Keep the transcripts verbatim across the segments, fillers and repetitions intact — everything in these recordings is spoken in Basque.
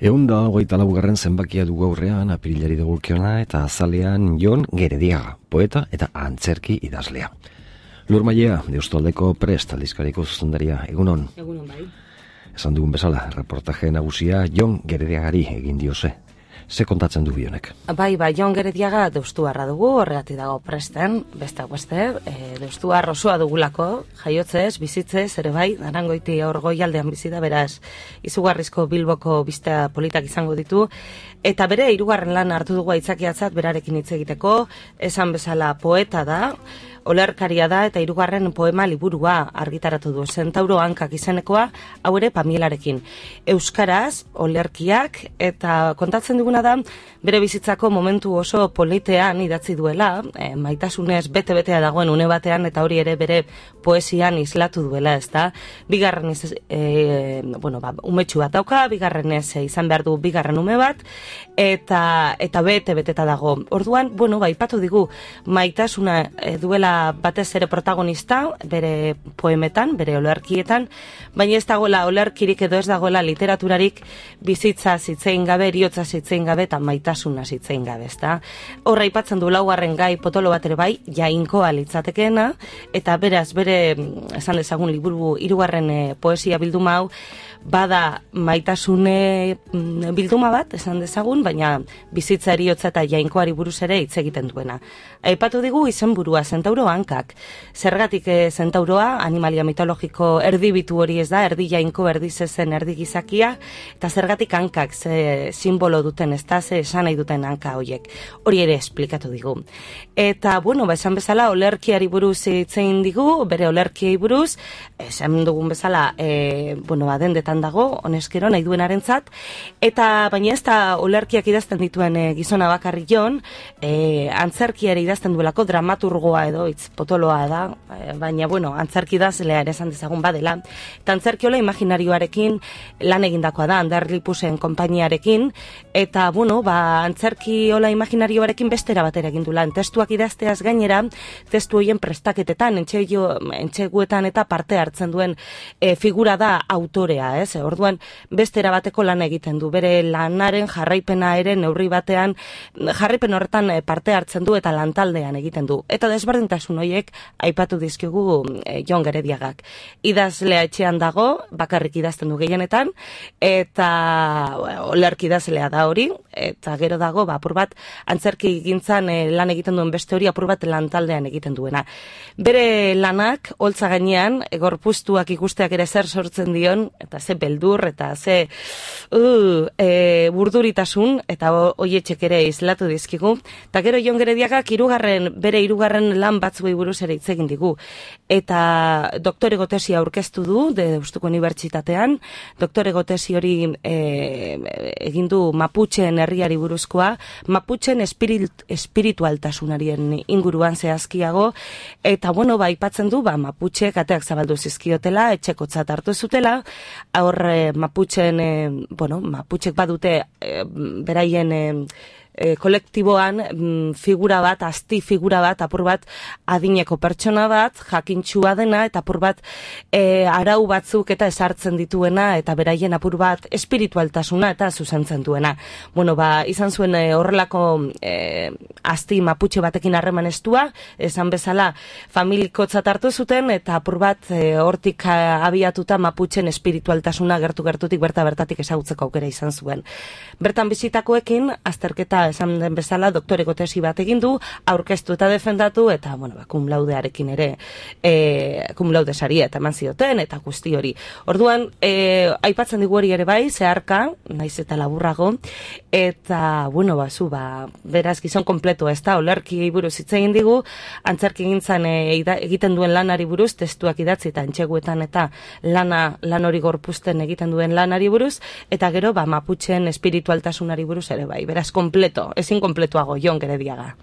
Egun da hogeita laugarren zenbakia dugu aurrean, apirilari dagokiona, eta azalean Jon Gerediaga, poeta eta antzerki idazlea. Lur Mailea, Deustualdeko Prest aldizkariko zuzendaria, egunon. Egunon bai. Esan dugun bezala, reportaje nagusia Jon Gerediagari egin diose. Ze kontatzen du bionek? Bai, bai, Jon Gerediaga Deustuarra dugu, horregatik dago Presten, besteak beste, e, Deustuar osoa dugulako, jaiotzez, bizitzez, ere bai, Arangoiti aur goialdean bizi da, beraz, izugarrizko Bilboko bista politak izango ditu, eta bere hirugarren lan hartu dugu aitzakiatzat berarekin hitz egiteko, esan bezala poeta da, olerkaria da eta hirugarren poema liburua argitaratu du, Zentauro hankak izenekoa, hau ere Pamielarekin. Euskaraz, olerkiak, eta kontatzen duguna da, bere bizitzako momentu oso politean idatzi duela, e, maitasunez bete-betea dagoen une batean, eta hori ere bere poesian islatu duela, ez da? Bigarren iz, e, bueno, ba, umetxu bat dauka, bigarren ez izan behar du bigarren ume bat, eta eta bete-beteta dago. Orduan, bueno, ba, ipatu digu, maitasuna e, duela batez ere protagonista, bere poemetan, bere olerkietan, baina ez dagoela olerkirik edo ez dagoela literaturarik bizitza zitzein gabe, eriotza zitzein gabe eta maitasuna zitzein gabe, ezta? Horra aipatzen du laugarren gai potolo bat ere bai, jainkoa litzatekeena, eta beraz bere, esan dezagun liburu hirugarren e, poesia bilduma hau, bada maitasune bilduma bat, esan dezagun, baina bizitza eriotza eta jainkoari buruz ere hitz egiten duena. Aipatu digu izenburua Zentauro hankak. Zergatik e, zentauroa, animalia mitologiko erdibitu hori ez da, erdi jainko, erdi zezen, erdi gizakia, eta zergatik hankak, ze simbolo duten, ez da, ze esan nahi duten hanka horiek. Hori ere esplikatu digu. Eta, bueno, ba, esan bezala, olerkiari buruz hitzein digu, bere olerkiei buruz, esan dugun bezala, e, bueno, ba, dendetan dago, honezkero, nahi duenarentzat, eta baina ez da olerkiak idazten dituen e, gizona bakarrik Jon, e, antzerkiari idazten duelako dramaturgoa edo hitz potoloa da, e, baina, bueno, antzerki idazlea ere esan dezagun badela, eta antzerkiola imaginarioarekin lan egindakoa da, Anderlipusen konpainiarekin, eta, bueno, ba, antzerkiola imaginarioarekin bestera batera egin du lan, testuak idazteaz gainera, testu horien prestaketetan, entxeguetan eta parte hartzen duen e, figura da autorea, ez? Orduan, bestera bateko lan egiten du, bere lanaren jarraipena ere neurri batean, jarraipen horretan parte hartzen du eta lantaldean egiten du. Eta desberdintasun horiek aipatu dizkigu e, Jon Gerediagak. Idazlea etxean dago, bakarrik idazten du gehienetan, eta olerki idazlea da hori, eta gero dago, ba, apur bat, antzerki gintzan e, lan egiten duen beste hori, apur bat lantaldean egiten duena. Bere lanak, holtza gainean, e, gorpuztuak ikusteak ere zer sortzen dion, eta ze beldur, eta ze uh, e, burduritasun, eta hoietxek ere islatu dizkigu. Eta gero Jon Gerediagak hirugarren, bere hirugarren lan batzuei buruz ere hitz egin digu. Eta doktorego tesia aurkeztu du, de Deustuko Unibertsitatean, doktorego tesi hori e, egin du Maputxeen herriari buruzkoa, Maputxeen espirit, espiritualtasunarien inguruan zehazkiago, eta bueno, ba, aipatzen du, ba, Maputxeek ateak zabaldu zizkiotela, etxekotzat hartu zutela, hor e, Maputxeen, e, bueno, Maputxek badute e, beraien e, E, kolektiboan mm, figura bat, asti figura bat, apur bat adineko pertsona bat, jakintxua dena, eta apur bat e, arau batzuk eta esartzen dituena, eta beraien apur bat espiritualtasuna eta zuzentzen duena. Bueno, ba, izan zuen e, horrelako e, asti Maputxe batekin harreman estua, esan bezala familikotzat hartu zuten, eta apur bat e, hortik abiatuta Maputxen espiritualtasuna gertu-gertutik berta-bertatik ezagutzeko aukera izan zuen. Bertan bizitakoekin, azterketa esan den bezala, doktoreko tesi bat egin du, aurkeztu eta defendatu, eta, bueno, ba, cum laudearekin ere, e, cum laude saria eta eman zioten, eta guzti hori. Orduan, e, aipatzen digu hori ere bai, zeharka, naiz eta laburrago, eta, bueno, ba, zu, ba, beraz gizon kompletua, ez da, olerki buruz hitz egin digu, antzerki gintzan e, egiten duen lanari buruz, testuak idatzi eta entxeguetan eta lana, lan hori gorpuzten egiten duen lanari buruz, eta gero, ba, Maputxeen espiritualtasunari buruz ere bai, beraz kompleto, ezin kompletuago Jon Gerediaga.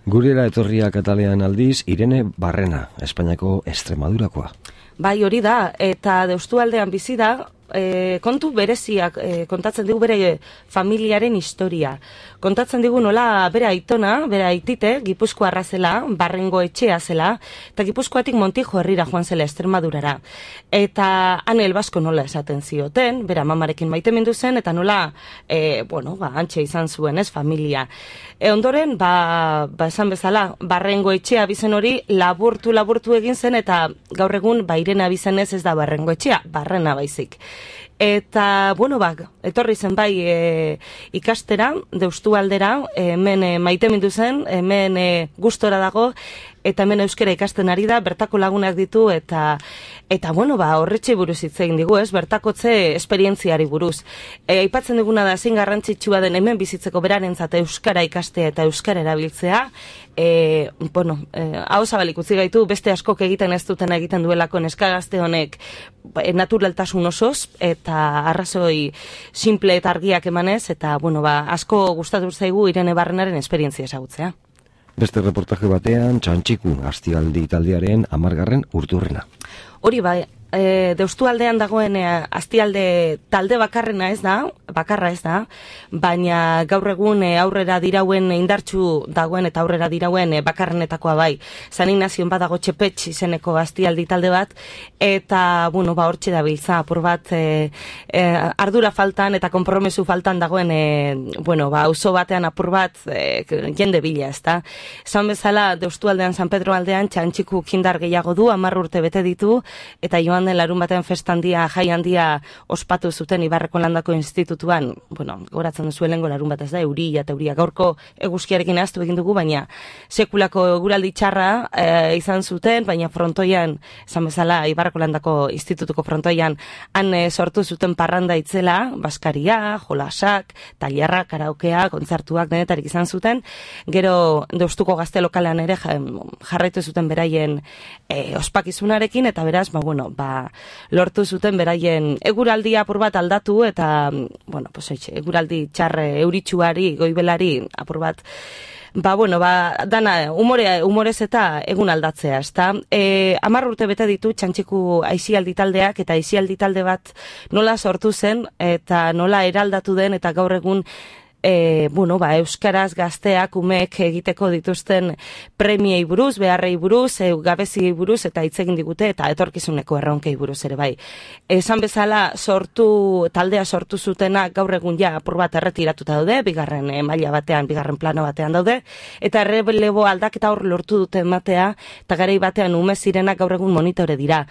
Gurera etorria Katalean aldiz, Irene Barrena, Espainiako Extremadurakoa. Bai, hori da, eta Deustualdean bizi da, e, kontu bereziak e, kontatzen digu bere familiaren historia. Kontatzen digu nola bere aitona, bere aitite, Gipuzkoarra zela, Barrengo etxea zela, eta Gipuzkoatik Montijo herrira joan zela Extremadurara. Eta han elbasko nola esaten zioten, bere mamarekin maitemindu zen, eta nola, e, bueno, ba, antxe izan zuen, ez, familia. E, ondoren, ba, ba, esan bezala, Barrengo etxea bizen hori laburtu, laburtu egin zen, eta gaur egun, ba, Irene bizenez ez da Barrengo etxea, Barrena baizik. Eta, bueno, bak, etorri zen bai e, ikastera, Deustu aldera, e, hemen e, maitemindu zen, hemen e, gustora dago, eta hemen euskera ikasten ari da, bertako lagunak ditu, eta, eta bueno, ba, horretxe buruz hitz egin digu, ez, bertakotze esperientziari buruz. E, aipatzen duguna da, zein garrantzitsua den hemen bizitzeko berarentzat euskara ikastea eta euskara erabiltzea, e, bueno, e, hau zabalik utzi gaitu, beste askok egiten ez duten egiten duelako neska gazte honek e, naturaltasun osoz, eta arrazoi simple eta argiak emanez, eta, bueno, ba, asko gustatu zaigu Irene Barrenaren esperientzia ezagutzea. Beste reportaje batean, Txantxiku Astialdi taldearen hamargarren urturrena. Hori bai, e, Deustu aldean dagoen e, Astialde talde bakarrena ez da, bakarra ez da, baina gaur egun e, aurrera dirauen indartsu dagoen eta aurrera dirauen e, bakarrenetakoa bai. San Ignazion badago Txepetx izeneko Astialdi talde bat, eta, bueno, ba, hortxe dabiltza, apur bat e, e, ardura faltan eta konpromesu faltan dagoen, e, bueno, ba, auzo batean apur bat e, jende bila, ez da. Esan bezala, Deustu aldean, San Pedro aldean, Txantxiku kindar gehiago du, hamar urte bete ditu, eta joan den larun batean festandia, jai handia ospatu zuten Ibarreko Landako Institutuan, bueno, goratzen duzu helengo larun bat ez da, euria eta euria gaurko eguzkiarekin ahaztu egin dugu, baina sekulako eguraldi txarra e, izan zuten, baina frontoian, esan bezala, Ibarreko Landako Institutuko frontoian, han e, sortu zuten parranda itzela, baskaria, jolasak, tailerra, karaokea, kontzertuak denetarik izan zuten, gero Deustuko gazte lokalean ere jarraitu zuten beraien e, ospakizunarekin, eta beraz, ba, bueno, ba, lortu zuten beraien eguraldia apur bat aldatu, eta, bueno, pues, oitxe, eguraldi txarre euritsuari, goibelari, apur bat, ba, bueno, ba, dana, umore, umorez eta egun aldatzea, ezta? E, amar urte bete ditu Txantxiku aisialdi taldeak, eta aisialdi talde bat nola sortu zen, eta nola eraldatu den, eta gaur egun E, bueno, ba, euskaraz gazteak umeek egiteko dituzten premiei buruz, beharrei buruz, e, gabeziei buruz, eta hitz egin digute, eta etorkizuneko erronkei buruz ere bai. Esan bezala sortu, taldea sortu zutena gaur egun ja apur bat erretiratuta daude, bigarren e, maila batean, bigarren plano batean daude, eta errelebo aldaketa hor lortu dute ematea, eta garai batean ume zirenak gaur egun monitore dira.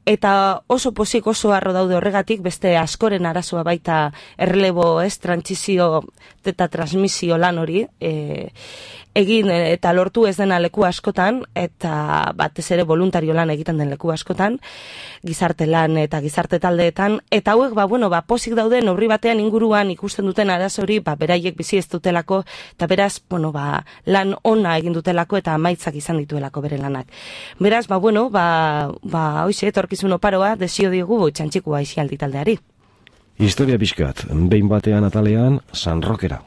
Eta oso pozik, oso harro daude horregatik, beste askoren arazoa baita errelebo, ez, trantsizio eta transmisio lan hori, e, egin eta lortu ez dena leku askotan, eta batez ere voluntario lan egiten den leku askotan, gizarte lan eta gizarte taldeetan, eta hauek, ba, bueno, ba, pozik dauden horri batean inguruan ikusten duten arazo hori, ba, beraiek bizi ez dutelako, eta beraz, bueno, ba, lan ona egin dutelako, eta amaitzak izan dituelako bere lanak. Beraz, ba, bueno, ba, ba, hoize, etorkizun oparoa, desio digu Txantxiku aisialdi taldeari. Historia pixkat, behin batean atalean, San Rokera.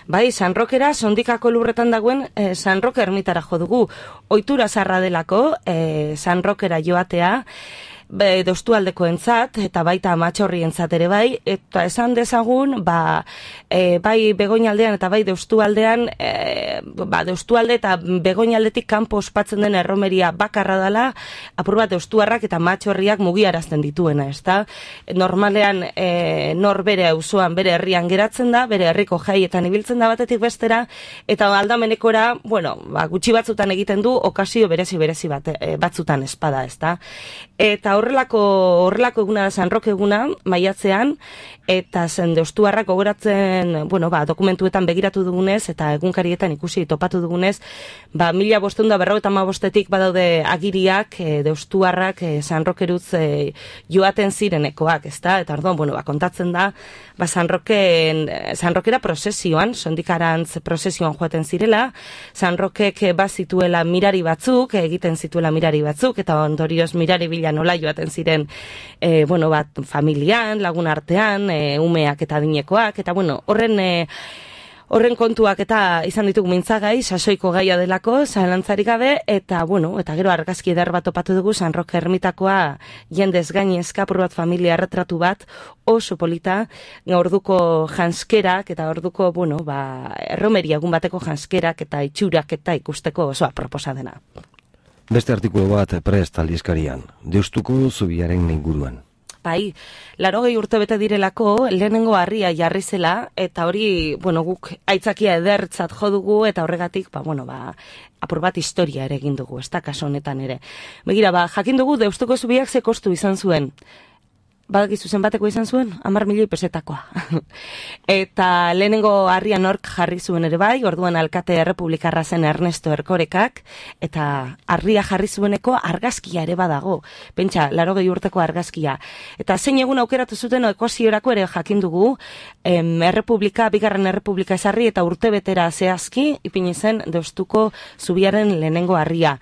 Bai, San Rokera, Sondikako lurretan dagoen eh, San Roke ermitara jo dugu. Ohitura zarra delako, eh, San Rokera joatea, be, Deustu aldeko entzat, eta baita Amatxorri entzat ere bai, eta esan dezagun, ba, e, bai Begoñaldean eta bai Deustu aldean, e, ba, Deustu alde eta Begoñaldetik kanpo ospatzen den erromeria bakarra dela, apur bat Deustuarrak eta Amatxorriak mugiarazten dituena, ezta? Normalean, e, nor bere auzoan, bere herrian geratzen da, bere herriko jaietan ibiltzen da batetik bestera, eta aldamenekora, bueno, ba, gutxi batzutan egiten du, okazio berezi-berezi bat, e, batzutan espada, ezta? Eta horrelako horrelako eguna da San Roke eguna, maiatzean, eta zen Deustuarrak gogoratzen, bueno, ba, dokumentuetan begiratu dugunez, eta egunkarietan ikusi topatu dugunez, ba, mila bostehun da berrogeita hamabostetik badaude agiriak, e, Deustuarrak e, San Rokerutz e, joaten zirenekoak, ezta? Eta orduan, bueno, ba, kontatzen da, ba, San Roken, San Rokera prosesioan, Sondikarantz prosesioan joaten zirela, San Rokek bazituela mirari batzuk, egiten zituela mirari batzuk, eta ondorioz mirari bila nola joaten ziren, e, bueno, bat, familian, lagun artean, e, umeak eta adinekoak, eta bueno, horren, e, Horren kontuak eta izan ditugu mintzagai, sasoiko gaia delako, zalantzarik gabe, eta, bueno, eta gero argazki eder bat topatu dugu, San Roque ermitakoa jendez gainezka, apur bat familia erretratu bat, oso polita, orduko janskerak, eta orduko, bueno, ba, erromeria egun bateko janskerak, eta itxurak, eta ikusteko oso aproposa dena. Beste artikulu bat prest aldizkarian, Deustuko zubiaren inguruan. Bai, larogei urte bete direlako lehenengo harria jarri zela, eta hori, bueno, guk aitzakia edertzat jo dugu, eta horregatik, ba, bueno, ba, apur bat historia ere egin dugu, ez da kaso honetan ere. Begira, ba, jakin dugu Deustuko zubiak ze kostu izan zuen. Badakizu zenbateko izan zuen, hamar milioi pesetakoa. Eta lehenengo harria nork jarri zuen ere bai, orduan alkate errepublikarra zen Ernesto Erkorekak, eta harria jarri zueneko argazkia ere badago. Pentsa, larogei urteko argazkia. Eta zein egun aukeratu zuten ekoziorako ere jakin dugu, em, errepublika, bigarren errepublika ezarri eta urte betera zehazki, ipini zen Deustuko zubiaren lehenengo harria.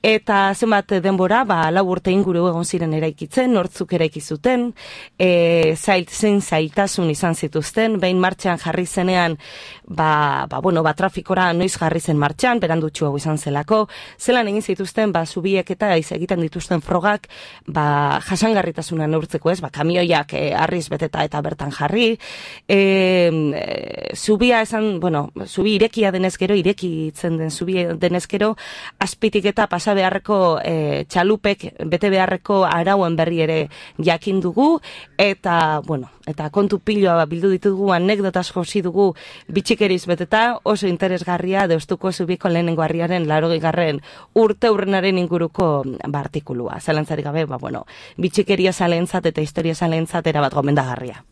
Eta zenbat denbora, ba, lau urte inguru egon ziren eraikitzen, nortzuk eraiki zuten, e, zailt zein zailtasun izan zituzten, behin martxan jarri zenean, ba, ba, bueno, ba, trafikora noiz jarri zen martxan, berandutxu hau izan zelako, zelan egin zituzten, ba, zubiek eta iz egiten dituzten frogak, ba, jasangarritasuna neurtzeko ez, ba, kamioiak e, arriz beteta eta bertan jarri, e, e, zubia esan, bueno, zubi irekia denez gero, irekitzen den zubi denez gero, azpitik eta pasa beharreko e, txalupek bete beharreko arauen berri ere jakin dugu, eta, bueno, eta kontu piloa bildu ditugu, anekdotas josi dugu bitxikeriz beteta, oso interesgarria Deustuko zubiko lehenengo harriaren larogeigarren urte urrenaren inguruko ba, artikulua. Zalantzarik gabe, ba, bueno, bitxikeria zalentzat eta historia zalentzat erabat gomendagarria.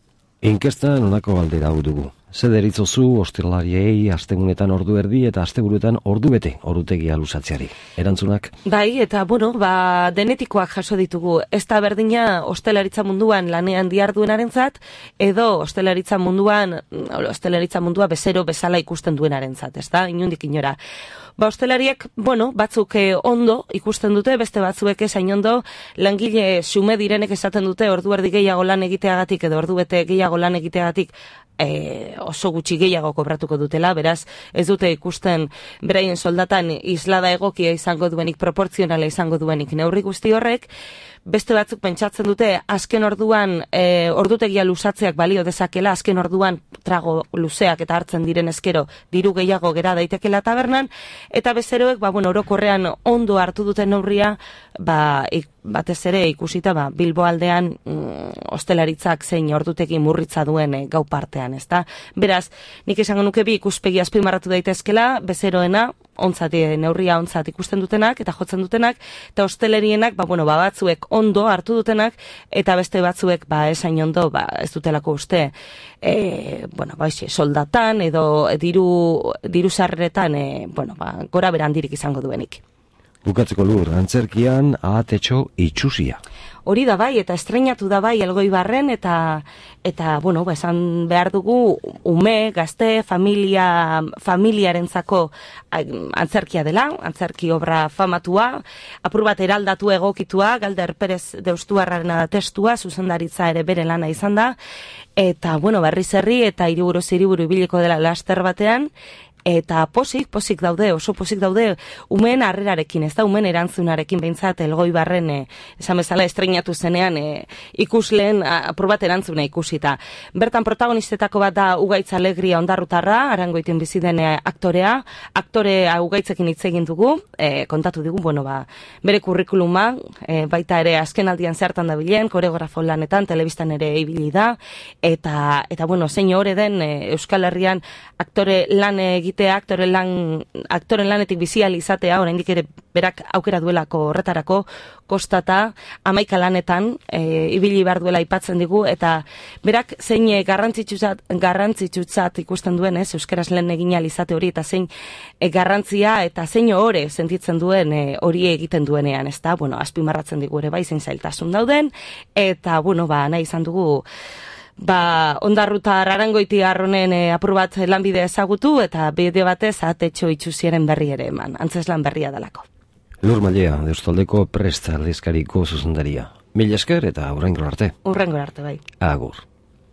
Inkestan honako galdera hau dugu. Ze deritzozu ostiralariei astegunetan ordu erdi eta asteburuetan ordu bete orutegia luzatzeari. Erantzunak? Bai, eta bueno, ba, denetikoak jaso ditugu. Ez da berdina ostelaritza munduan lanean diarduenarentzat, edo ostelaritza munduan, ostelaritza mundua bezero bezala ikusten duenarentzat, ez da? Inundik inora. Ba, ostelariek, bueno, batzuk eh, ondo ikusten dute, beste batzuek esain ondo, langile xume direnek esaten dute ordu erdi gehiago lan egiteagatik edo ordu bete gehiago lan egiteagatik E, oso gutxi gehiago kobratuko dutela, beraz ez dute ikusten beraien soldatan islada egokia izango duenik, proportzionala izango duenik neurri guzti horrek. Beste batzuk pentsatzen dute azken orduan e, ordutegia luzatzeak balio dezakela, azken orduan trago luzeak eta hartzen diren ezkero diru gehiago gera daitekela tabernan, eta bezeroek, ba, bueno, orokorrean ondo hartu duten neurria, ba, ik, batez ere ikusita ba, Bilbo aldean mm, ostelaritzak zein ordutegi murritza duen e, gau partean, ezta? Beraz, nik esango nuke bi ikuspegi azpimarratu daitezkela, bezeroena, ontzat, neurria ontzat ikusten dutenak eta jotzen dutenak, eta hostelerienak, ba, bueno, ba, batzuek ondo hartu dutenak, eta beste batzuek, ba, esain ondo, ba, ez dutelako uste, e, bueno, ba, isi, soldatan edo diru, diru sarreretan, e, bueno, ba, gora berandirik izango duenik. Bukatzeko lur, antzerkian ahatetxo itxusia. Hori da bai, eta estreinatu da bai Elgoibarren, eta, eta bueno, ba, esan behar dugu, ume, gazte, familia, familiarentzako antzerkia dela, antzerki obra famatua, apur bat eraldatu egokitua, Galder Perez Deustuarrarena da testua, zuzendaritza ere bere lana izan da, eta, bueno, berriz herri, eta hiriburu ziriburu ibiliko dela laster batean, eta posik, posik daude, oso posik daude, umeen harrerarekin, ez da, umeen erantzunarekin behintzat Elgoibarren, e, esan bezala estreinatu zenean, e, ikusleen apur bat erantzuna ikusita. Bertan protagonistetako bat da Ugaitz Alegria Ondarrutarra, Arangoiten bizi den aktorea, aktorea Ugaitzekin hitz egin dugu, e, kontatu digu, bueno, ba, bere kurrikuluma, e, baita ere azken aldian zertan dabilen, koreografo lanetan, telebistan ere ibili da, eta, eta bueno, zein hori den e, Euskal Herrian aktore lan egiten aktore lan, aktoren lanetik bizial izatea, oraindik ere berak aukera duelako horretarako, kostata, hamaika lanetan, e, ibili behar duela aipatzen digu, eta berak zein garrantzitsutzat, garrantzitsutzat ikusten duen, ez, euskaraz lehen egin ahal izate hori, eta zein e, garrantzia, eta zein ore sentitzen duen e, hori egiten duenean, ez da, bueno, azpimarratzen digu ere bai, zein zailtasun dauden, eta, bueno, ba, nahi izan dugu, ba, Ondarrutar Arangoiti arronen e, apur bat lanbide ezagutu, eta bide batez ahatetxo itxusiaren berri ere eman, antzeslan berria dalako. Lur Malea, Deustaldeko prest aldizkariko zuzendaria. Mil esker eta hurrengor arte. Hurrengor arte, bai. Agur.